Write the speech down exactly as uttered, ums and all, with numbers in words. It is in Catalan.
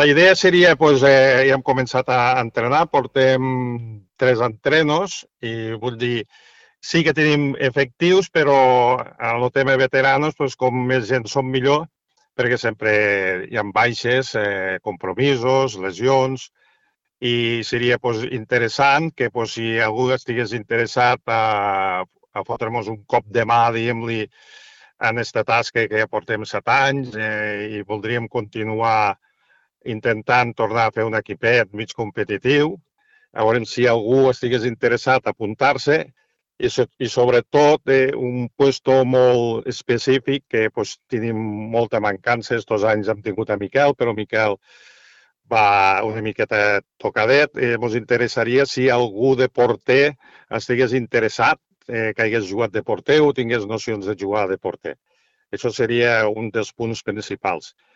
la idea seria, doncs, eh, ja hem començat a entrenar, portem tres entrenos i vull dir, sí que tenim efectius, però en el tema veteranos, doncs, com més gent som millor, perquè sempre hi ha baixes, eh, compromisos, lesions, i seria doncs, interessant que doncs, si algú estigués interessat a, a fotre'ns un cop de mà, diguem-li, en aquesta tasca que ja portem set anys eh, i voldríem continuar intentant tornar a fer un equipet mig competitiu. A veure si algú estigués interessat a apuntar-se i, so, i sobretot eh, un puesto molt específic que pues, tenim molta mancança. Estos anys hem tingut a Miquel, però Miquel va una miqueta tocadet. Eh, ens interessaria si algú de porter estigués interessat, eh, que hagués jugat de porter o tingués nocions de jugar de porter. Això seria un dels punts principals.